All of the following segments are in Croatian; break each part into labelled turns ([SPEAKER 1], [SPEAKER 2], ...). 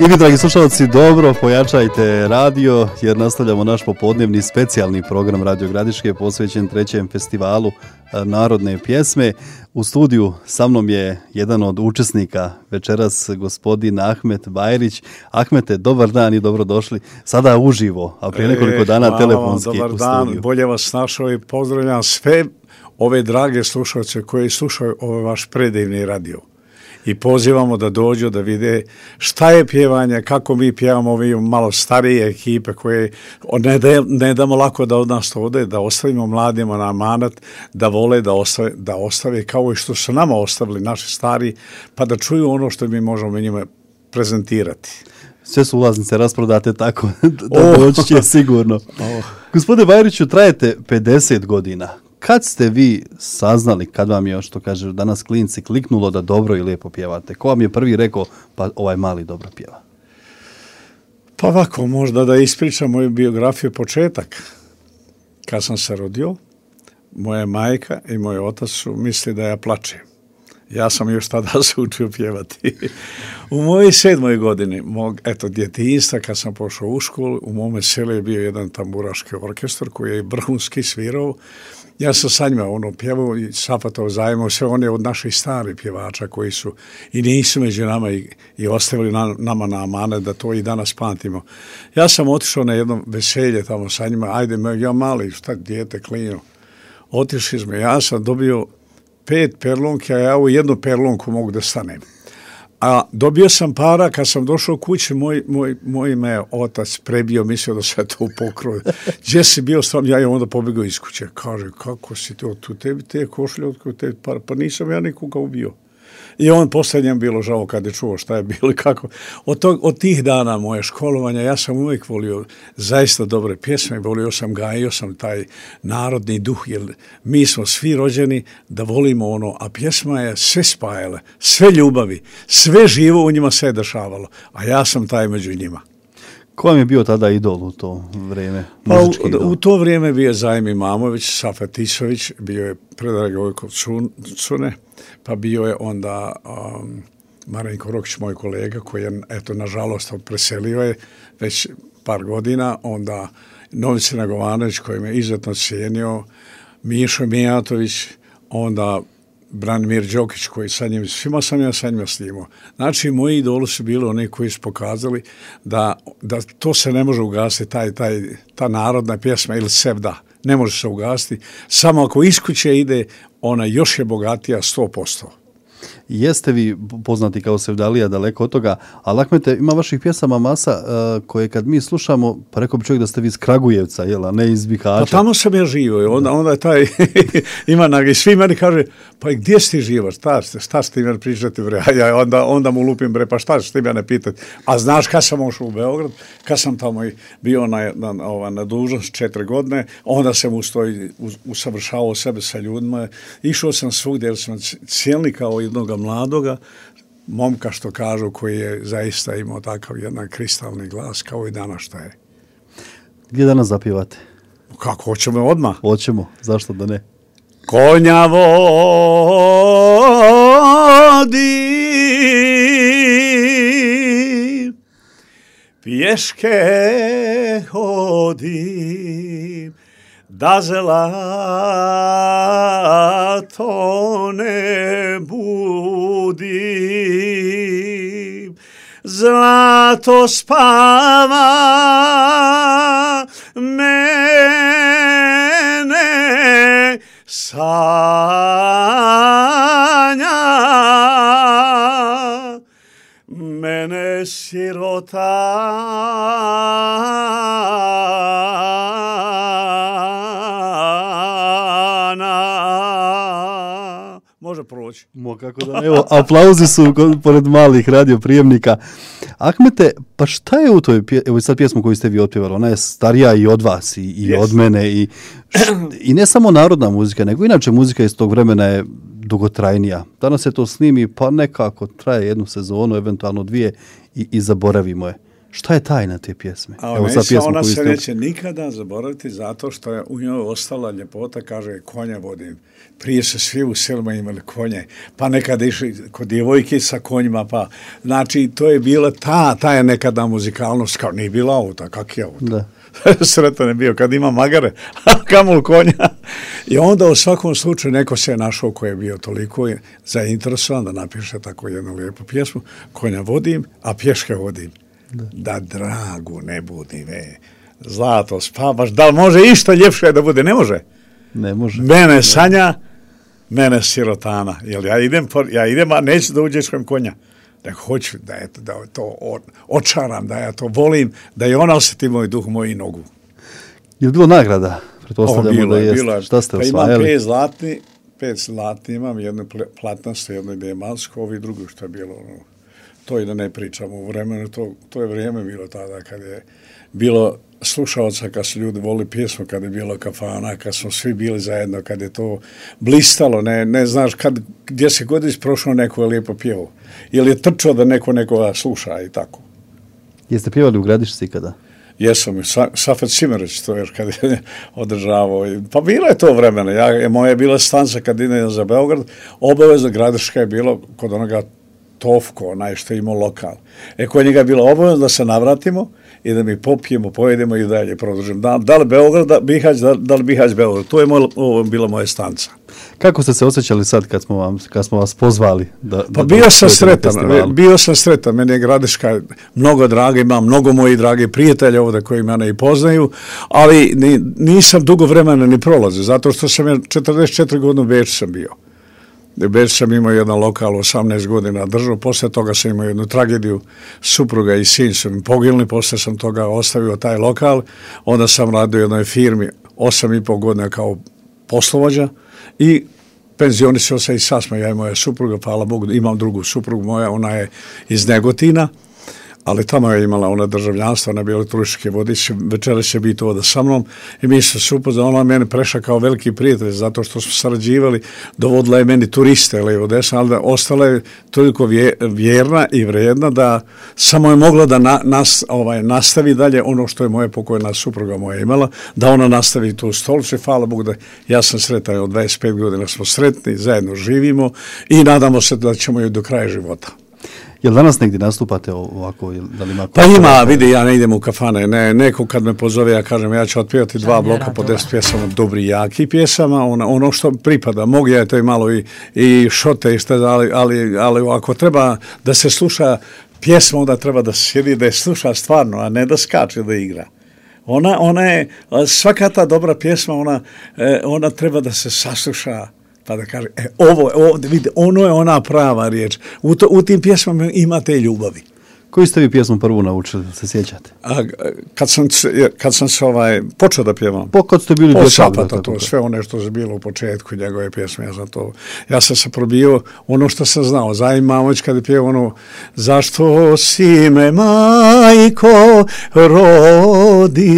[SPEAKER 1] I vi, dragi slušalci, dobro pojačajte radio jer nastavljamo naš popodnevni specijalni program Radio Gradiške posvećen 3. festivalu narodne pjesme. U studiju sa mnom je jedan od učesnika večeras, gospodin Ahmet Bajrić. Ahmete, dobar dan i dobrodošli. Sada uživo, a prije nekoliko dana telefonski u studiju.
[SPEAKER 2] Dobar dan, bolje vas našao i pozdravljam sve ove drage slušalce koji slušaju ovaj vaš predivni radio. I pozivamo da dođu da vide šta je pjevanje, kako mi pjevamo ovi malo starije ekipe koje ne damo lako da od nas to ode, da ostavimo mladima na amanet, da vole da ostave kao i što su nama ostavili naši stari, pa da čuju ono što mi možemo njima prezentirati.
[SPEAKER 1] Sve su ulaznice rasprodate tako da doći će sigurno. Gospodine Bajriću, trajete 50 godina. Kad ste vi saznali, kad vam je, što kaže danas klinci, kliknulo da dobro i lijepo pjevate? Ko vam je prvi rekao, pa ovaj mali dobro pjeva?
[SPEAKER 2] Pa ovako, možda da ispričam moju biografiju, početak. Kad sam se rodio, moja majka i moj otac su mislili da ja plačem. Ja sam još tada se učio pjevati. U mojoj 7. godini, djetinjstva, kad sam pošao u školu, u mome selu je bio jedan tamburaški orkestar koji je vrhunski svirao. Ja sam sa njima pjevao i sapatao zajedno sve one od naših starih pjevača koji su i nisu među nama i ostavili nama na amanet da to i danas pamtimo. Ja sam otišao na jedno veselje tamo sa njima, ja mali, dijete klino. Otišli smo, ja sam dobio 5 perlonki, a ja u jednu perlonku mogu da stanem. A dobio sam para, kad sam došao kući, moj me otac prebio, mislio da se to pokroje. Gdje si bio sam, ja je onda pobjegao iz kuće. Kaže, kako si to, tu tebi te košlje, pa nisam ja nikoga ubio. I on posljednje bilo žao kad je čuo šta je bilo i kako. Od tih dana moje školovanja ja sam uvijek volio zaista dobre pjesme, gajio sam taj narodni duh, jer mi smo svi rođeni da volimo a pjesma je sve spajale, sve ljubavi, sve živo u njima se je dešavalo, a ja sam taj među njima.
[SPEAKER 1] Ko vam je bio tada idol u to vrijeme?
[SPEAKER 2] U to vrijeme bio je Zajmi Mamović, Safet Isović, bio je Predrag Gojkov Cune, pa bio je onda Marinko Rokić, moj kolega, koji je, nažalost, preselio je već par godina, onda Novice Nagovanović, koji me izuzetno cijenio, Mišo Mijatović, onda Branimir Đokić, koji svima sam ja sa njima snimao. Znači, moji idoli su bili oni koji su pokazali da to se ne može ugasiti, ta narodna pjesma ili sevda, ne može se ugasiti. Samo ako iz kuće ide, ona još je bogatija 100%.
[SPEAKER 1] Jeste vi poznati kao sevdalija, daleko od toga, ali Ahmete, ima vaših pjesama masa koje kad mi slušamo, pa rekao bi čovjek da ste vi iz Kragujevca, a ne iz Bihaća.
[SPEAKER 2] Pa tamo sam ja živio, onda je taj i svi meni kaže, pa gdje si ti živaš, šta ste meni pričati, bre, ja onda mu lupim, bre, pa šta ćete mene pitati, a znaš kad sam ušao u Beograd, kad sam tamo bio na dužnost 4 godine, onda sam usavršavao sebe sa ljudima, išao sam svugdje, jer sam cijelni kao jednoga mladoga momka, što kažu, koji je zaista imao takav jedan kristalni glas kao i danas šta je.
[SPEAKER 1] Gdje danas zapivate?
[SPEAKER 2] Kako, hoćemo odmah?
[SPEAKER 1] Hoćemo, zašto da ne?
[SPEAKER 2] Konja vodi, pješke hodi, da zlato ne budi, zlato spava, mene sanja, mene sirota može proći.
[SPEAKER 1] Kako da ne, evo, aplauzi su pored malih radioprijemnika. Ahmete, pa šta je u toj evo sad pjesmu koju ste vi otpjevali? Ona je starija i od vas i od mene i ne samo narodna muzika, nego inače muzika iz tog vremena je dugotrajnija. Danas se to snimi, pa nekako traje jednu sezonu, eventualno 2 i zaboravimo je. Šta je tajna te pjesme?
[SPEAKER 2] Ona se neće nikada zaboraviti zato što je u njoj ostala ljepota, kaže konja vodim. Prije se svi u selima imali konje, pa nekada išli kod djevojke sa konjima, pa znači to je bila ta je nekada muzikalnost, kao nije bila auta, kak je auto?
[SPEAKER 1] Da.
[SPEAKER 2] Sretan je bio kad ima magare, a kamol konja. I onda u svakom slučaju neko se je našao koji je bio toliko zainteresovan da napiše tako jednu lijepu pjesmu, konja vodim, a pješke vodim. Da dragu ne budim, zlato spavaš, da li može išta ljepše da bude? Ne može.
[SPEAKER 1] Ne može.
[SPEAKER 2] Mene sanja, mene sirotana. Jer ja idem, a neću da uđeškam konja. Da hoću da to očaram, da ja to volim, da i ona osjeti moj duh, moju nogu.
[SPEAKER 1] Je li bilo nagrada? Pretpostavljamo da jest. Šta ste osvajali?
[SPEAKER 2] Imam 5 zlatni, imam jednu platnastu, jednu dijemansku, ovi drugi što je bilo. To i da ne pričamo u vremenu, to je vrijeme bilo tada kad je bilo slušalca, kad su ljudi voli pjesmu, kad je bilo kafana, kad smo svi bili zajedno, kad je to blistalo, ne znaš gdje se god isprošao neko je lijepo pjevao. Ili je trčao da nekoga sluša i tako.
[SPEAKER 1] Jeste pjevali u Gradišci kada?
[SPEAKER 2] Jesam, Safet Simerić to još kad je održavao. Pa bilo je to vremena. Moja je bila stanca kad idem za Beograd, obavezno Gradiška je bilo kod onoga Tovko, onaj što je imao lokal. Kod njega je bilo obavezno da se navratimo i da mi popijemo, pojedemo i dalje produžimo. Da li Beograd, Bihać, da li Bihać, Beograd. To je bila moja stanca.
[SPEAKER 1] Kako ste se osjećali sad kad smo vas pozvali?
[SPEAKER 2] Pa bio sam sretan. Meni je Gradiška mnogo draga, imam mnogo mojih dragi prijatelja ovdje koji mene i poznaju, ali nisam dugo vremena ni prolazio, zato što sam 44 godine u Beču sam bio. U Beču sam imao jedan lokal 18 godina držao, poslije toga sam imao jednu tragediju, supruga i sin su mi poginuli, poslije sam toga ostavio taj lokal, onda sam radio u jednoj firmi 8,5 godina kao poslovođa i penzionisao se i sasma, ja i moja supruga, hvala Bogu, imam drugu suprugu moja, ona je iz Negotina, ali tamo je imala ona državljanstvo, ona je bila turistički vodič, večeras će biti ovdje sa mnom i mi se upoznali, ona je meni prešla kao veliki prijatelj, zato što smo sarađivali, dovodila je meni turiste, levo desno, ali da ostala je toliko vjerna i vrijedna da samo je mogla da nastavi dalje ono što je moja pokojna supruga moja imala, da ona nastavi tu stolicu i hvala Bogu da ja sam sretan, od 25 godina smo sretni, zajedno živimo i nadamo se da ćemo ju do kraja života.
[SPEAKER 1] Jel danas negdje nastupate ovako? Da li ima
[SPEAKER 2] pa ima, vidi, ja ne idem u kafane. Neko kad me pozove, ja kažem, ja ću otpjevati 2 bloka po 10 pjesama, dobri, jaki pjesama, ono što pripada. Mogu ja to i malo i šote, i šta, ali ako treba da se sluša pjesma, onda treba da se sjedi, da je sluša stvarno, a ne da skače, da igra. Ona je, svaka ta dobra pjesma, ona treba da se sasluša, pa da kaže, vidite, ono je ona prava riječ. U tim pjesmama ima te ljubavi.
[SPEAKER 1] Koju ste vi pjesmu prvu naučili, se sjećate?
[SPEAKER 2] Kad sam se počeo da pjevam.
[SPEAKER 1] Kad ste bili dječak.
[SPEAKER 2] To sve ono što je bilo u početku njegove pjesme, ja sam se probio ono što sam znao. Zaim Mamović kad je pjevao ono, zašto si me majko rodila,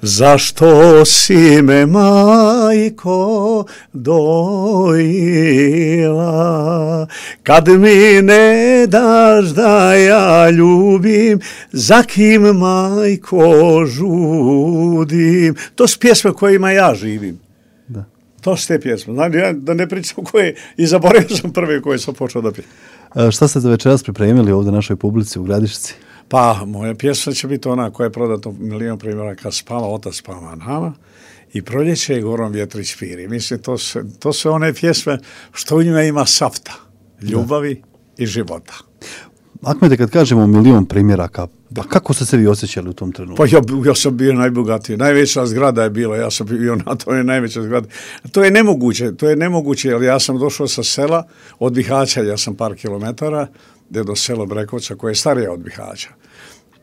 [SPEAKER 2] zašto si me majko dojila, kad mi ne daš da ja ljubim, za kim majko žudim. To su pjesme kojima ja živim.
[SPEAKER 1] Da.
[SPEAKER 2] To su te pjesme. Znači, ja da ne pričam koje, i zaboravio sam prve koje sam počeo da pijem.
[SPEAKER 1] Šta ste za večeras pripremili ovdje našoj publici u Gradišci?
[SPEAKER 2] Pa, moja pjesma će biti ona koja je prodata 1.000.000 primjeraka, Spava otac, spava nama, i Proljeće i Gorom vjetrić piri. Mislim, to su one pjesme što u njima ima safta, ljubavi i života.
[SPEAKER 1] Ahmete, kad kažemo 1.000.000 primjeraka, pa kako ste se vi osjećali u tom trenutku?
[SPEAKER 2] Pa ja sam bio najbogatiji. Najveća zgrada je bila, ja sam bio na toj najvećoj zgradi. To je nemoguće, jer ja sam došao sa sela od Bihaća, ja sam par kilometara, do sela Brekovca, koje je starije od Bihaća.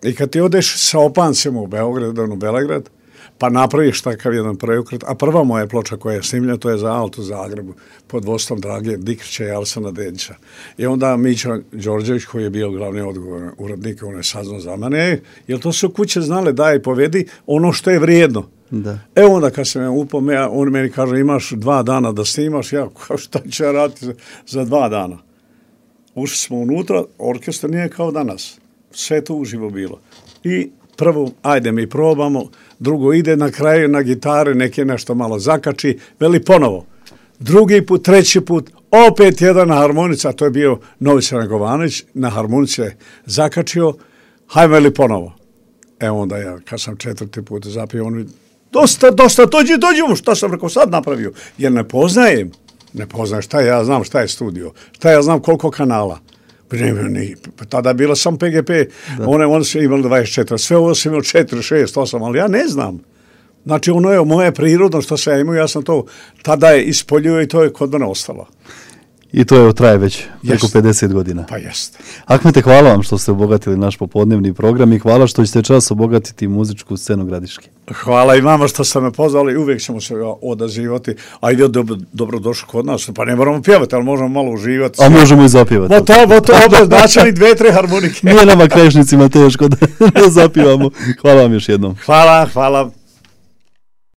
[SPEAKER 2] I kad ti odeš sa opancima u Beograd, u Belegrad, pa napraviš takav jedan preokret, a prva moja ploča koja je snimljena, to je za Alt u Zagrebu, pod vodstvom Drage Dikrića i Alsana Dedića. I onda Mića Đorđević, koji je bio glavni odgovorni urednik, on je saznao za mene, jer to su kuće znale, daj povedi ono što je vrijedno.
[SPEAKER 1] Da.
[SPEAKER 2] Onda kad sam ja upao, on meni kaže, imaš 2 dana da snimaš, ja šta ću ja raditi za 2 dana? ušli smo unutra, orkestar nije kao danas. Sve to uživo bilo. I prvo, ajde mi probamo, drugo ide na kraju na gitari, neki nešto malo zakači, veli ponovo. Drugi put, treći put, opet jedan na harmonici, a to je bio Novica Negovanović, na harmonici je zakačio, hajme li ponovo. Evo onda ja, kad sam 4. put zapio, on mi, dosta, dođi, šta sam rekao sad napravio, jer ne poznajem šta ja znam, šta je studio, šta ja znam koliko kanala. Tada je bilo sam PGP, one su imali 24, sve ovo sam imao 4, 6, 8, ali ja ne znam. Znači ono je moje prirodno što se ja imao, ja sam to tada je ispoljio i to je kod mene ostalo.
[SPEAKER 1] I to je traje već preko 50 godina.
[SPEAKER 2] Pa jeste.
[SPEAKER 1] Ahmete, hvala vam što ste obogatili naš popodnevni program i hvala što ćete čas obogatiti muzičku scenu Gradiške.
[SPEAKER 2] Hvala i vama što ste me pozvali, uvijek ćemo se odazivati. Ajde, dobro došli kod nas, pa ne moramo pjevati, ali možemo malo uživati.
[SPEAKER 1] A možemo i zapjevati.
[SPEAKER 2] To znači 2-3 harmonike.
[SPEAKER 1] Nije nama krajišnicima teško da zapivamo. Hvala vam još jednom.
[SPEAKER 2] Hvala.